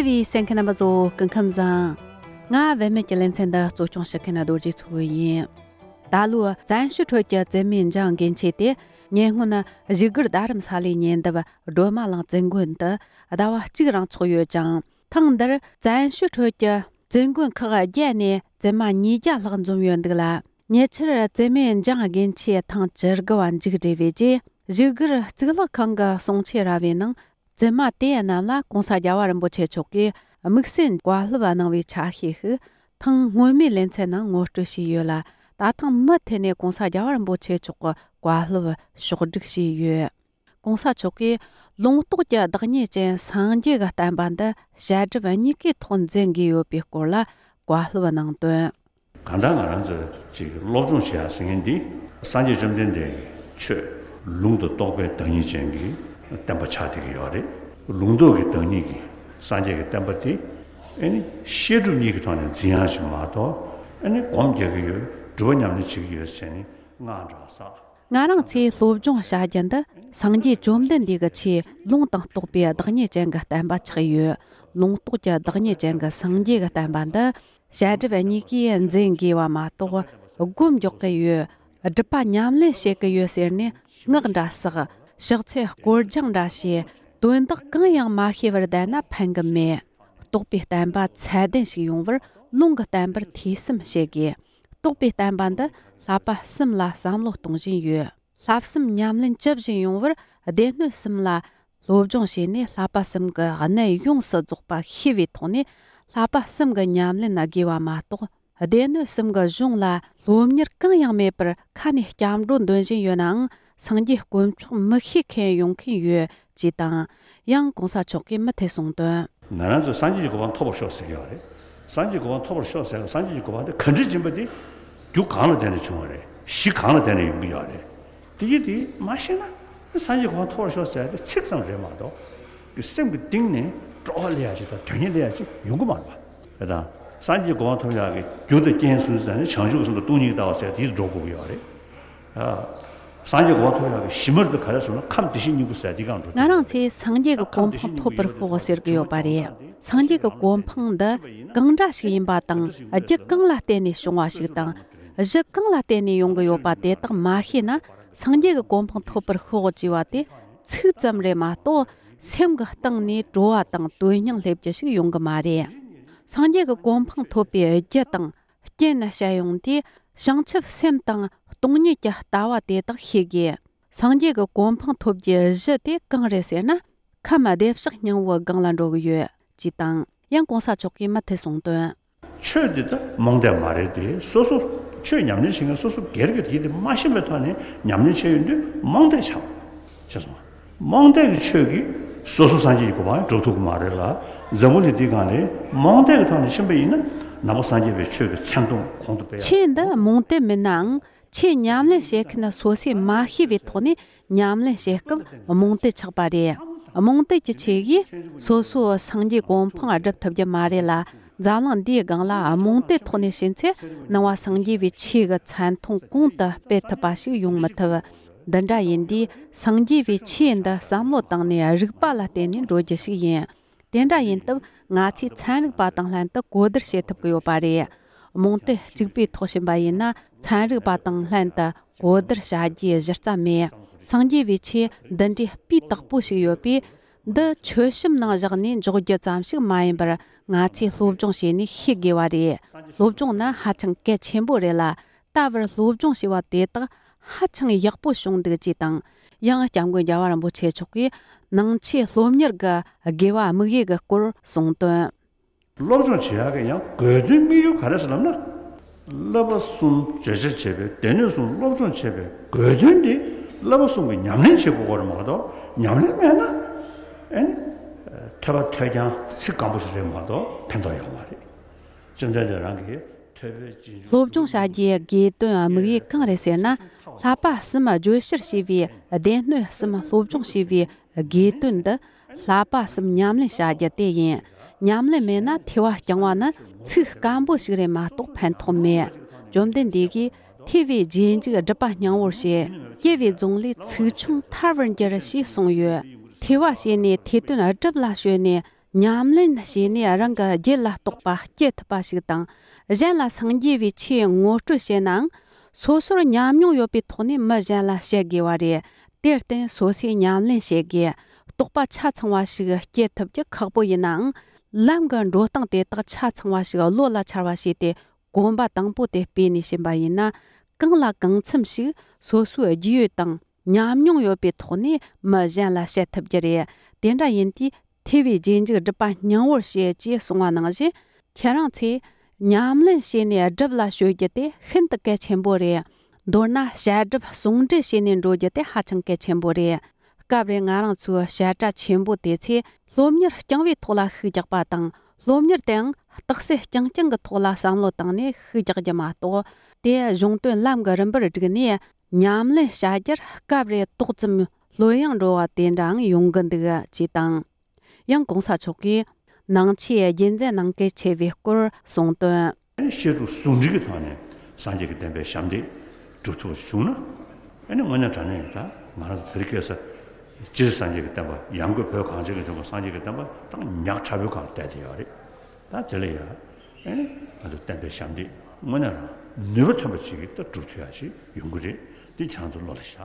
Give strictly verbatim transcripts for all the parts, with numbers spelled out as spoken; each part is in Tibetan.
བའི་གསན་མཁན་རྣམ་པ་ཚོ་སྐུ་ཁམས་བཟང་། ང་བུད་མེད་ཀྱི་ལེ་ཚན་འདི་གཙོ་སྐྱོང་བྱེད་མཁན་རྡོ་རྗེ་མཚོ་ཡིན། ད་ལོའི་བཙན་བྱོལ་ཁྲོད་ཀྱི་བཙུན་མའི་འཇང་དགེ་མཆེད་དེ་ཉེ་སྔོན་བཞུགས་སྒར་རྡ་རམ་ས་ལའི་ཉེ་འདབས་སྒྲོལ་མ་གླིང་བཙུན་དགོན་དུ་ཟླ་བ་གཅིག་རིང་འཚོགས་ཡོད་ཅིང་། ཐེངས་འདིར་བཙན་བྱོལ་ཁྲོད་ཀྱི་བཙུན་དགོན་ཁག་བརྒྱད་ནས་བཙུན་མ་ཉིས་བརྒྱ་ལྷག་འཛོམས་ཡོད་འདུག་ལ། ཉེ་ཆར་བཙུན་མའི་འཇང་དགེ་མཆེད་ཐེངས་བཅུ་དགུ་བ་མཇུག་སྒྲིལ་བའི་རྗེས། བཞུགས་སྒར་གཙུག་ལག་ཁང་གི་གསུང་ཆོས་ར་བའི་ནང་། བཙུན་མ་དེ་རྣམས་ལ་༸གོང་ས་༸རྒྱལ་བ་རིན་པོ་ཆེ་མཆོག་གིས་དམིགས་བསལ་བཀའ་སློབ་གནང་བའི་ཆ་ཤས་ཤིག་ཐེངས་སྔོན་མའི་ལེ་ཚན་ནང་ངོ་སྤྲོད་བྱས་ཡོད་ལ། ད་ཐེངས་མུ་མཐུད་ནས་༸གོང་ས་༸རྒྱལ་བ་རིན་པོ་ཆེ་མཆོག་གི་བཀའ་སློབ་ཕྱོགས་བསྒྲིགས་བྱས་ཡོད། ༸གོང་ས་མཆོག་གིས་ལུང་རྟོགས་ཀྱི་བདག་ཉིད་ཅན་སངས་རྒྱས་ཀྱི་བསྟན་པ་འདི་བཤད་སྒྲུབ་གཉིས་ཀའི་ཐོག་འཛིན་དགོས་ཡོད་པའི་སྐོར་ལ་བཀའ་སློབ་གནང་དོན། གང་ལྟར་ང་རང་ཚོས་ཅིག་སློབ་སྦྱོང་བྱེད་ཡ་ཟེར་མཁན་འདི་སངས་རྒྱས་བཅོམ་ལྡན་འདས་ཀྱི་ཆོས་ལུང་དང་རྟོགས་པའི་བདག་ཉིད་ཅན་གྱི་བསྟན་པ་ཆགས་བསྡད་ཀྱི་ཡོད་རེད། ལུང་རྟོགས་ཀྱི་བདག་ཉིད་ཀྱི་སངས་རྒྱས་ཀྱི་བསྟན་པ་དེ་ཨ་ནི་བཤད་སྒྲུབ་གཉིས་ཀྱི་ཐོག་ནས་འཛིན་ཡ་ཞིག་མ་གཏོགས། ཨ་ནི་སྒོམ་རྒྱག་གི་ཡོད། སྒྲུབ་པ་ཉམས་ལེན་བྱེད་ཀྱི་ཡོད་ཟེར་ནས་དངངས་སྐྲག་ཟ། ང་རང་ཚོས་སློབ་སྦྱོང་བྱ་རྒྱུ་འདི་སངས་རྒྱས་བཅོམ་ལྡན་འདས་ཀྱི་ཆོས་ལུང་དང་རྟོགས་པའི་བདག་ཉིད་ཅན་གྱི་བསྟན་པ་ཆགས་ཡོད། ལུང་རྟོགས་ཀྱི་བདག་ཉིད་ཅན་གྱི་སངས་རྒྱས་ཀྱི་བསྟན་པ་འདི་བཤད་སྒྲུབ་གཉིས་ཀས་འཛིན་དགོས་པ་མ་གཏོགས་སྒོམ་རྒྱག་གི་ཡོད། སྒྲུབ་པ་ཉམས་ལེན་བྱེད་ཀྱི་ཡོད་ཟེར་ནས་དངངས་སྐྲག་ཟ། ཕྱག་འཚལ་སྐོར་སྦྱང་འདྲ་བྱས། དོན་དག་གང་ཡང་མ་ཤེས་པར་བསྡད་ན་ཕན་གི་མེད། རྟོགས་པའི་བསྟན་པ་ཚད་ལྡན་ཞིག་ཡོང་བར་ལུང་གི་བསྟན་པར་ཐོས་བསམ་བྱེད་དགོས། རྟོགས་པའི་བསྟན་པ་འདི་བསླབ་པ་གསུམ་ལ་བསམ་བློ་གཏོང་བཞིན་ཡོད། བསླབ་གསུམ་ཉམས་ལེན་ཇི་བཞིན་ཡོང་བར་སྡེ་སྣོད་གསུམ་ལ་སློབ་སྦྱོང་བྱས་ནས། བསླབ་པ་གསུམ་གྱི་གནད་ཡོངས་སུ་རྫོགས་པ་ཤེས་པའི་ཐོག་ནས་བསླབ་པ་གསུམ་གྱི་ཉམས་ལེན་དགོས་པ་མ་གཏོགས། སྡེ་སྣོད་གསུམ་གྱི་གཞུང་ལ་སློབ་གཉེར་གང་ཡང་མེད་པར་ཁ་ནས་སྐྱབས་འགྲོ་འདོན་བཞིན་ཡོད་ནའང་། སངས་རྒྱས་དཀོན་མཆོག་མི་ཤེས་མཁན་ཡོང་མཁན་ཡོད་ཅེས་དང་། ཡང་༸གོང་ས་མཆོག་གིས་མུ་མཐུད་གསུངས་དོན། ང་རང་ཚོས་སངས་རྒྱས་ཀྱི་གོ་འཕང་ཐོབ་པར་ཤོག་ཟེར་གྱི་ཡོད་རེད། སངས་རྒྱས་ཀྱི་གོ་འཕང་ཐོབ་པར་ཤོག་ཟེར་ལ། སངས་རྒྱས་ཀྱི་གོ་འཕང་དེ་ག་འདྲ་ཡིན་པ་དེ་རྒྱུ་གང་ལ་བརྟེན་ནས་བྱུང་བ་རེད། གཞི་གང་ལ་བརྟེན་ནས་ཡོང་གི་ཡོད་རེད། དེ་ཡི་དེ་མ་ཤེས་ན་སངས་རྒྱས་གོ་འཕང་ཐོབ་པར་ཤོག་ཟེར་ཡ་དེ་ཚིག་ཙམ་རེད་མ་གཏོགས། སེམས་ཀྱི་གཏིང་ནས་སྤྲོ་བ་སླེབས་ཡ་ཅིག་དང་དོན་གཉེར་སླེབས་ཡ་ཅིག་ཡོང་གི་མ་རེད་པ། དེ་དང་སངས་རྒྱས་གོ་འཕང་ཐོབ་ཡག་གི་རྒྱུ་དང་རྐྱེན་སུ་ཟེར་ན་བྱང་ཆུབ་ཀྱི་སེམས་དང་སྟོང་ཉིད་ཀྱི་ལྟ་བ་ཟེར་དེ་འགྲོ་དགོས་ཀྱི་ཡོད་རེད། ཨ། སངས་རྒྱས་གོ་འཕང་ཐོབ་ཡག་གི་གཞི་མ་དེ་ག་རེ་ཟེར་ན་ཁམས་བདེ་གཤེགས་སྙིང་པོ་ཟེར་དེ་གང་འགྲོ། ང་རང་ཚོས་སངས་རྒྱས་ཀྱི་གོ་འཕང་ཐོབ་པར་ཤོག་ཟེར་གྱི་ཡོད་པ་རེད། སངས་རྒྱས་ཀྱི་གོ་འཕང་འདི་གང་འདྲ་ཞིག་ཡིན་པ་དང་། རྒྱུ་གང་ལ་བརྟེན་ནས་བྱུང་བ་ཞིག་དང་། གཞི་གང་ལ་བརྟེན་ནས་ཡོང་གི་ཡོད་པ་དེ་དག་མ་ཤེས་ན། སངས་རྒྱས་ཀྱི་གོ་འཕང་ཐོབ་པར་ཤོག་ཅེས་པ་དེ་ཚིག་ཙམ་རེད་མ་གཏོགས། སེམས་ཀྱི་གཏིང་ནས་སྤྲོ་བ་དང་དོན་སྙིང་སླེབས་རྒྱུ་ཞིག་ཡོང་གི་མ་རེད། སངས་རྒྱས་ཀྱི་གོ་འཕང་ཐོབ་པའི་རྒྱུ་དང་རྐྱེན་བཤད་ཡོང་དུས། བྱང་ཆུབ་སེམས་དང་སྟོང་ཉིད་ཀྱི་ལྟ་བ་དེ་དག་ཤེས་དགོས། སངས་རྒྱས་ཀྱི་གོ་འཕང་ཐོབ་རྒྱུའི་གཞི་དེ་གང་རེད་ཟེར་ན། ཁམས་བདེ་གཤེགས་སྙིང་པོའི་སྒང་ལ་འགྲོ་གི་ཡོད་ཅེས་དང་། ཡང་༸གོང་ས་མཆོག་གིས་མུ་མཐུད་གསུངས་དོན། ཆོས་འདི་ད་རྨོངས་དད་མ་རེད་དེ། སོ་སོ་ཆོས་ཉམས་ལེན་བྱེད་མཁན་སོ་སོ་སྒེར་གྱི་དེ་དེ་མ་ཤེས་པའི་ཐོག་ནས་ཉམས་ལེན་བྱས་ཡོང་དུས་རྨོངས་དད་ཆགས། ཤེས་སོང་ང་། རྨོངས་དད་ཀྱི་ཆོས་ཀྱིས་སོ་སོ་སངས་རྒྱས་ཀྱི་གོ་འཕང་སྒྲུབ་ཐུབ་ཀྱི་མ་རེད་ལ། འཛམ་བུ་གླིང་འདིའི་སྒང་ལ་རྨོངས་དད་ཀྱི་ཐོག་ནས་ཕྱིན་པ་ཡིན་ན་ནང་པ་སངས་རྒྱས་པའི་ཆོས་ཀྱི་མཚན་མཐོང་གོང་དུ་སྤེལ་ཡ། ཆོས་འདི་རྨོངས་དད་མིན་ནའང་། ཆོས་ཉམས་ལེན་བྱེད་མཁན་སོ་སོས་མ་ཤེས་པའི་ཐོག་ནས་ཉམས་ལེན་བྱེད་སྐབས་རྨོངས་དད་ཆགས་པ་རེད། རྨོངས་དད་ཀྱི་ཆེད་ཀྱིས་སོ་སོའི་སངས་རྒྱས་གོ་འཕང་སྒྲུབ་ཐུབ་རྒྱུ་མ་རེད་ལ། འཛམ་གླིང་འདིའི་སྒང་ལ་རྨོངས་དད་ཐོག་ནས་ཕྱིན་ཚེ། ནང་པ་སངས་རྒྱས་པའི་ཆོས་ཀྱི་མཚན་མཐོང་གོང་དུ་སྤེལ་ཐུབ་པ་ཞིག་ཡོང་མི་ཐུབ། འདི་འདྲ་ཡིན་དུས་སངས་རྒྱས་པའི་ཆོས་འདི་བསམ་བློ་བཏང་ནས་རིགས་པ་ལ་བརྟེན་ནས་འགྲོ་རྒྱུ་ཞིག་ཡིན། དེ་འདྲ་ཡིན་སྟབས་ང་ཚོས་ཚན་རིག་པ་དང་ལྷན་དུ་གོ་བསྡུར་བྱེད་ཐུབ་ཀྱི་ཡོད་པ་རེད། རྨོངས་དད་གཅིག་པུའི་ཐོག་ཕྱིན་པ་ཡིན་ན། ཚན་རིག་པ་དང་ལྷན་དུ་གོ་བསྡུར་བྱ་རྒྱུའི་གཞི་རྩ་མེད། སངས་རྒྱས་པའི་ཆོས་འདི་འདྲའི་སྤུས་དག་པོ་ཞིག་ཡོད་པས། འདི་མཆོད་བཤམས་ནང་བཞག་ནས་འཇོག་རྒྱུ་ཙམ་ཞིག་མ་ཡིན་པར། ང་ཚོས་སློབ་སྦྱོང་བྱས་ནས་ཤེས་དགོས་པ་རེད། སློབ་སྦྱོང་ནི་ཧ་ཅང་གལ་ཆེན་པོ་རེད་ལ། ད་བར་སློབ་སྦྱོང་བྱས་པ་དེ་དག་ཧ་ཅང་ཡག་པོ་བྱུང་འདུག་ཅེས་དང་། ཡང་སྐྱབས་མགོན་རྒྱལ་བ་རིན་པོ་ཆེ་མཆོག་གིས་ནང་ཆོས་སློབ་གཉེར་གྱི་དགེ་བ་དམིགས་ཡུལ་གྱི་སྐོར་གསུངས་དོན། སློབ་སྦྱོང་བྱེད་ཡག་གི་ཡང་དགོས་དོན་དམིགས་ཡུལ་ག་རེ་ཟེར་ལབ་ན། བསླབ་པ་གསུམ་བརྗོད་བྱ་བྱས་པའི་སྡེ་སྣོད་གསུམ་སློབ་སྦྱོང་བྱས་པའི་དགོས་དོན་དེ་བསླབ་པ་གསུམ་གྱི་ཉམས་ལེན་བྱེད་དགོས་པ་རེད་མ་གཏོགས། ཉམས་ལེན་མེད་ན་ཨེ་ནི་ཐོས་པ་ཐོས་རྐྱང་ཚིག་སྐམ་པོ་ཞིག་རེད་མ་གཏོགས་ཕན་ཐོགས་ཡོད་མ་རེད། བཅོམ་ལྡན་འདས་རང་གིས་ཐོས་པའི་རྗེས་འཇུག་སློབ་སྦྱོང་བྱ་རྒྱུའི་དགོས་དོན་དམིགས་ཡུལ་གང་རེད་ཟེར་ན། བསླབ་པ་གསུམ་བརྗོད་བྱར་བྱས་པའི་སྡེ་སྣོད་གསུམ་སློབ་སྦྱོང་བྱས་པའི་དགོས་དོན་འདི་བསླབ་པ་གསུམ་ཉམས་ལེན་བྱ་རྒྱུ་དེ་ཡིན། ཉམས་ལེན་མེད་ན་ཐོས་པ་རྐྱང་བ་ནི་ཚིག་སྐམ་པོ་ཞིག་རེད་མ་གཏོགས་ཕན་ཐོགས་མེད། བཅོམ་ལྡན་འདས་ཀྱིས་ཐོས་པའི་རྗེས་འཇུག་སྒྲུབ་པ་སྙིང་པོར་བྱེད། སྐྱེ་བའི་རྫོང་ལས་ཚིག་ཆུང་ཐར་བར་འགྱུར་ཞེས་གསུངས་ཡོད། ཐོས་པ་བྱས་ནས་ཐོས་དོན་སྒྲུབ་ལ་སྤྱོད་ནས། ཉམས་ལེན་བྱས་ནས་རང་གི་རྒྱུད་ལ་གཏོགས་པ་སྐྱེ་ཐུབ་པ་ཞིག་དང་། གཞན་ལ་སངས་རྒྱས་པའི་ཆོས་ངོ་སྤྲོད་བྱེད་ནའང་། སོ་སོར་ཉམས་མྱོང་ཡོད་པའི་ཐོག་ནས་མི་གཞན་ལ་བཤད་དགོས་པ་རེད། དེར་བརྟེན་སོ་སོས་ཉམས་ལེན་བྱེད་དགོས། རྟོགས་པ་ཆ་ཚང་བ་ཞིག་སྐྱེ་ཐུབ་རྒྱུ་ཁག་པོ་ཡིན་ནའང་། ལམ་གྱི་འགྲོ་སྟངས་དེ་དག་ཆ་ཚང་བ་ཞིག་བློ་ལ་འཆར་བ་བྱས་ཏེ། གོམ་པ་དང་པོ་དེ་སྤོས་ནས་ཕྱིན་པ་ཡིན་ན། གང་ལ་གང་འཚམ་ཞིག་སོ་སོའི་རྒྱུས་ཡོད་དང་ཉམས་མྱོང་ཡོད་པའི་ཐོག་ནས་མི་གཞན་ལ་བཤད་ཐུབ་རྒྱུ་རེད། དེ་འདྲ་ཡིན་དུས་ཐོས་པའི་རྗེས་འཇུག་སྒྲུབ་པ་སྙིང་པོར་བྱེད་ཅེས་གསུངས་པ་ནང་བཞིན། ཁྱེད་རང་ཚོས་ཉམས་ལེན་བྱས་ནས་སྒྲུབ་ལ་གཞོལ་རྒྱུ་དེ་ཤིན་ཏུ་གལ་ཆེན་པོ་རེད། མདོར་ན་བཤད་སྒྲུབ་ཟུང་འབྲེལ་བྱས་ནས་འགྲོ་རྒྱུ་དེ་ཧ་ཅང་གལ་ཆེན་པོ་རེད། སྐབས་རེ་ང་རང་ཚོའི་བཤད་གྲྭ་ཆེན་པོ་དེ་ཚོས་སློབ་གཉེར་རྐྱང་པའི་ཐོག་ལ་ཤུགས་རྒྱག་པ་དང་། སློབ་གཉེར་དེའང་རྟགས་གསལ་རྐྱང་རྐྱང་གི་ཐོག་ལ་བསམ་བློ་བཏང་ནས་ཤུགས་རྒྱག་རྒྱུ་མ་གཏོགས། དེ་གཞུང་དོན་ལམ་གྱི་རིམ་པར་བསྒྲིགས་ནས་ཉམས་ལེན་བྱ་རྒྱུར་སྐབས་རེ་ཏོག་ཙམ་ལྷོད་ཡངས་འགྲོ་བ་དེ་འདྲའང་ཡོང་གི་འདུག་ཅེས་དང་། ཡང་གོང་ས་མཆོག་གིས་ནང་ཆོས་རྒྱུན་འཛིན་གནང་གལ་ཆེ་བའི་སྐོར་གསུངས་དོན། ཨ་ནི་བཤད་སྒྲུབ་ཟུང་འབྲེལ་གྱི་ཐོག་ནས་སངས་རྒྱས་ཀྱི་བསྟན་པའི་ཞབས་འདེགས་སྒྲུབ་ཐུབ་པ་བྱུང་ན། ཨ་ནི་དངོས་གནས་དྲང་གནས་ད་ང་རང་ཚོ་དེ་རིང་ཁ་སང་སྤྱིར་སངས་རྒྱས་ཀྱི་བསྟན་པ་ཡང་སྒོས་བོད་གངས་ཅན་གྱི་ལྗོངས་ཀྱི་སངས་རྒྱས་ཀྱི་བསྟན་པ་ད་ཉག་ཕྲ་བོའི་སྒང་ལ་བསྡད་དེ་ཡོད་རེད། ད་དེ་ལ་ཡང་ཨ་ནི་ང་ཚོ་བསྟན་པའི་ཞབས་འདེགས་དངོས་གནས་རང་ནུས་པ་ཐོན་པ་ཅིག་གིས་ད་སྒྲུབ་ཐུབ་ཡག་ཅིག་ཡོང་གི་རེད། འདི་ཁྱེད་རང་ཚོ་བློ་ལ་བཞག་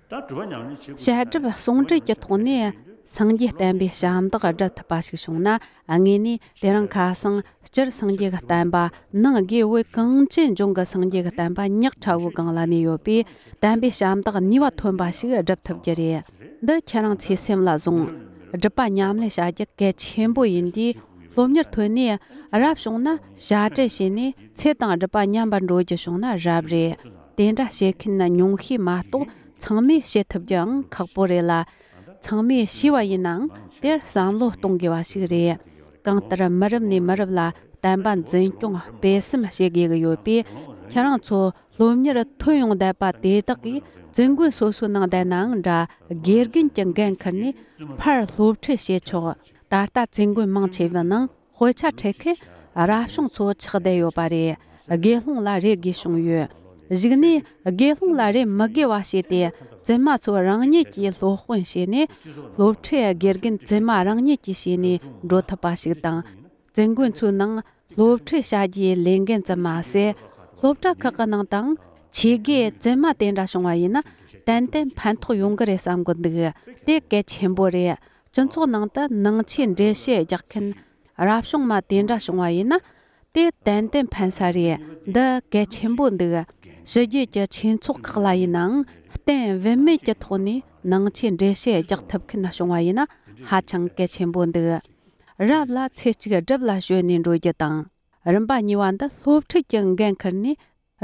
ད་སྒྲུབ་པ་ཉམས་ལེན་བྱེད་དགོས། བཤད་སྒྲུབ་ཟུང་འབྲེལ་གྱི་ཐོག་ནས་སངས་རྒྱས་བསྟན་པའི་ཞབས་འདེགས་སྒྲུབ་ཐུབ་པ་ཞིག་བྱུང་ན། དངོས་གནས་དེ་རིང་ཁ་སང་སྤྱིར་སངས་རྒྱས་ཀྱི་བསྟན་པ་ནང་དགེ་བོད་གངས་ཅན་ལྗོངས་ཀྱི་སངས་རྒྱས་ཀྱི་བསྟན་པ་ཉག་ཕྲ་བོའི་སྒང་ལ་གནས་ཡོད་པས། བསྟན་པའི་ཞབས་འདེགས་ནུས་པ་ཐོན་པ་ཞིག་སྒྲུབ་ཐུབ་རྒྱུ་རེད། འདི་ཁྱེད་རང་ཚོས་སེམས་ལ་བཟུང་། སྒྲུབ་པ་ཉམས་ལེན་བྱ་རྒྱུ་གལ་ཆེན་པོ་ཡིན་དུས། སློབ་གཉེར་ཐོན་ནས་རབ་བྱུང་ན་བྱ་བྲལ་བྱས་ནས་ཚེ་དང་སྒྲུབ་པ་མཉམ་པར་འགྲོ་རྒྱུ་བྱུང་ན་རབ་རེད། དེ་འདྲ་བྱེད་མཁན་ཉུང་ཤས་མ་གཏོགས་ཚང་མས་བྱེད་ཐུབ་རྒྱུའང་ཁག་པོ་རེད་ལ། ཚང་མས་བྱས་པ་ཡིན་ནའང་དེར་བསམ་བློ་གཏོང་དགོས་པ་ཞིག་རེད། གང་ལྟར་མི་རབས་ནས་མི་རབས་ལ་བསྟན་པ་འཛིན་སྐྱོང་སྤེལ་གསུམ་བྱེད་དགོས་ཀྱི་ཡོད་པས། ཁྱེད་རང་ཚོ་སློབ་གཉེར་ཐོན་ཡོང་བསྡད་པ་དེ་དག་གིས་བཙུན་དགོན་སོ་སོའི་ནང་བསྡད་ནའང་འདྲ། དགེ་རྒན་གྱི་འགན་ཁུར་ནས་ཕར་སློབ་ཁྲིད་བྱེད་ཆོག་ད་ལྟ་བཙུན་དགོན་མང་ཆེ་བའི་ནང་དཔེ་ཆ་ཁྲིད་མཁན་རབ་བྱུང་ཚོ་ཆགས་བསྡད་ཡོད་པ་རེད། དགེ་སློང་ལ་རེ་དགོས་བྱུང་ཡོད། གཞུག་ནས་དགེ་སློང་ལ་རེ་མི་དགོས་པ་བྱས་ཏེ། བཙུན་མ་ཚོ་རང་ཉིད་ཀྱིས་སློབ་དཔོན་བྱས་ནས། སློབ་ཁྲིད་དགེ་རྒན་བཙུན་མ་རང་ཉིད་ཀྱིས་བྱས་ནས་འགྲོ་ཐུབ་པ་ཞིག་དང་། བཙུན་དགོན་ཚོའི་ནང་སློབ་ཁྲིད་བྱ་རྒྱུའི་ལས་འགན་ཙམ་མ་ཟད། སློབ་གྲྭ་ཁག་གི་ནང་དུའང་ཆོས་དགེ་བཙུན་མ་དེ་འདྲ་བྱུང་བ་ཡིན་ན། ཏན་ཏན་ཕན་ཐོགས་ཡོང་གི་རེད་བསམ་གི་འདུག་དེ་གལ་ཆེན་པོ་རེད། སྤྱི་ཚོགས་ནང་དུ་ནང་ཆོས་འགྲེལ་བཤད་རྒྱག་མཁན་རབ་བྱུང་མ་དེ་འདྲ་བྱུང་བ་ཡིན་ན། དེ་ཏན་ཏན་ཕན་ས་རེད། འདི་གལ་ཆེན་པོ་འདུག་ཕྱི་རྒྱལ་གྱི་ཆོས་ཚོགས་ཁག་ལ་ཡིན་ནའང་གཏན་བུད་མེད་ཀྱི་ཐོག་ནས་ནང་ཆོས་འགྲེལ་བཤད་རྒྱག་ཐུབ་མཁན་བྱུང་བ་ཡིན་ན་ཧ་ཅང་གལ་ཆེན་པོ་འདུག་རབ་ལ་ཚེ་གཅིག་སྒྲུབ་ལ་གཞོལ་ནས་འགྲོ་རྒྱུ་དང་། རིམ་པ་གཉིས་པ་འདི་སློབ་ཁྲིད་ཀྱི་འགན་ཁུར་ནས་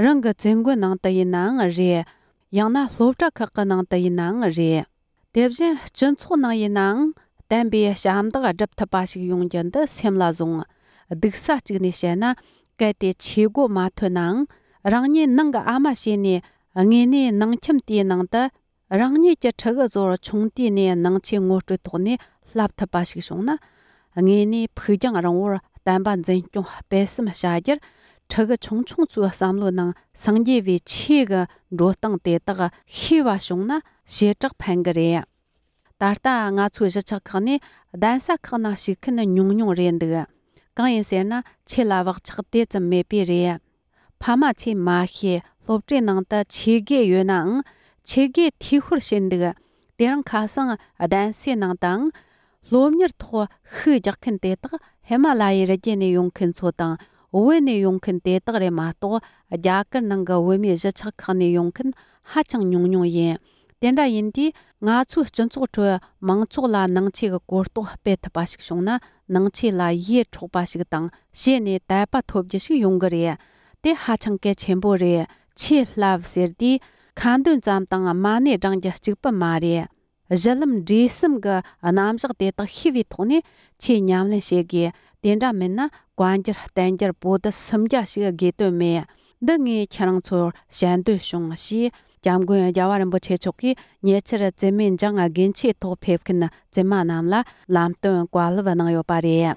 རང་གི་བཙུན་དགོན་ནང་དུ་ཡིན་ནའང་རེད། ཡང་ན་སློབ་གྲྭ་ཁག་གི་ནང་དུ་ཡིན་ནའང་རེད། དེ་བཞིན་སྤྱི་ཚོགས་ནང་ཡིན་ནའང་བསྟན་པའི་ཞབས་འདེགས་སྒྲུབ་ཐུབ་པ་ཞིག་ཡོང་རྒྱུ་འདི་སེམས་ལ་བཟུང་། སྡུག་ས་གཅིག་ནས་བཤད་ན། གལ་ཏེ་ཆོས་སྒོ་མ་ཐོན་ནའང་རང་ཉིད་ནང་གི་ཨ་མ་བྱས་ནས་དངོས་གནས་ནང་ཁྱིམ་དེའི་ནང་དུ་རང་ཉིད་ཀྱི་ཕྲུ་གུ་ཚོར་ཆུང་དུས་ནས་ནང་ཆོས་ངོ་སྤྲོད་ཐོག་ནས་བསླབ་ཐུབ་པ་ཞིག་བྱུང་ན། དངོས་གནས་ཕུགས་རྒྱང་རིང་བོར་བསྟན་པ་འཛིན་སྐྱོང་སྤེལ་གསུམ་བྱ་རྒྱུར། ཕྲུ་གུ་ཆུང་ཆུང་ཚོའི་བསམ་བློའི་ནང་སངས་རྒྱས་པའི་ཆོས་ཀྱི་འགྲོ་སྟངས་དེ་དག་ཤེས་པ་བྱུང་ན་ཞེ་དྲག་ཕན་གི་རེད། ད་ལྟ་ང་ཚོའི་གཞིས་ཆགས་ཁག་ནས་གདན་ས་ཁག་ནང་ཞུགས་མཁན་ཉུང་ཉུང་རེད་འདུག་གང་ཡིན་ཟེར་ན་ཆོས་ལ་བག་ཆགས་དེ་ཙམ་མེད་པས་རེད། ཕ་མ་ཚོས་མ་ཤེས། སློབ་གྲྭའི་ནང་དུ་ཆོས་དགེ་ཡོད་ནའང་ཆོས་དགེ་འཐུས་ཤོར་བྱས་འདུག་དེ་རིང་ཁ་སང་གདན་སའི་ནང་དུའང་སློབ་གཉེར་ཐོག་ཤུགས་རྒྱག་མཁན་དེ་དག་ཧི་མ་ལ་ཡའི་རི་རྒྱུད་ནས་ཡོང་མཁན་ཚོ་དང་བོད་ནས་ཡོང་མཁན་དེ་དག་རེད་མ་གཏོགས། རྒྱ་གར་ནང་གི་བོད་མིའི་གཞིས་ཆགས་ཁག་ནས་ཡོང་མཁན་ཧ་ཅང་ཉུང་ཉུང་ཡིན། དེ་འདྲ་ཡིན་དུས་ང་ཚོའི་སྤྱི་ཚོགས་ཁྲོད་མང་ཚོགས་ལ་ནང་ཆོས་ཀྱི་གོ་རྟོགས་སྤེལ་ཐུབ་པ་ཞིག་བྱུང་ན། ནང་ཆོས་ལ་ཡིད་འཕྲོག་པ་ཞིག་དང་བྱས་ནས་དད་པ་ཐོབ་རྒྱུ་ཞིག་ཡོང་གི་རེད། དེ་ཧ་ཅང་གལ་ཆེན་པོ་རེད། ཆོས་བསླབ་ཟེར་དུས་ཁ་འདོན་ཙམ་དང་མ་ཎི་བགྲང་རྒྱུ་གཅིག་པུ་མ་རེད། གཞི་ལམ་འབྲས་གསུམ་གྱི་རྣམ་གཞག་དེ་དག་ཤེས་པའི་ཐོག་ནས་ཆོས་ཉམས་ལེན་བྱེད་དགོས། དེ་འདྲ་མིན་ན་བཀའ་འགྱུར་བསྟན་འགྱུར་པོ་ཏི་སུམ་བརྒྱ་ཞིག་དགོས་དོན་མེད། འདི་ངས་ཁྱེད་རང་ཚོར་བཤད་འདོད་བྱུང་ཞེས་སྐྱབས་མགོན་རྒྱལ་བ་རིན་པོ་ཆེ་མཆོག་གིས་ཉེ་ཆར་བཙུན་མའི་འཇང་དགུན་ཆོས་ཐོག་ཕེབས་མཁན་བཙུན་མ་རྣམས་ལ་ལམ་སྟོན་བཀའ་སློབ་གནང་ཡོད་པ་རེད།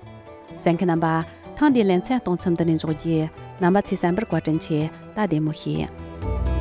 གསན་མཁན་རྣམ་པ། ཐེངས་འདིའི་ལེ་ཚན་གཏོང་མཚམས་འདི་ནས་འཇོག་རྒྱུ། རྣམ་པ་ཚོས་གསན་པར་བཀའ་དྲིན་ཆེ། ད་བདེ་མོ་བྱོས།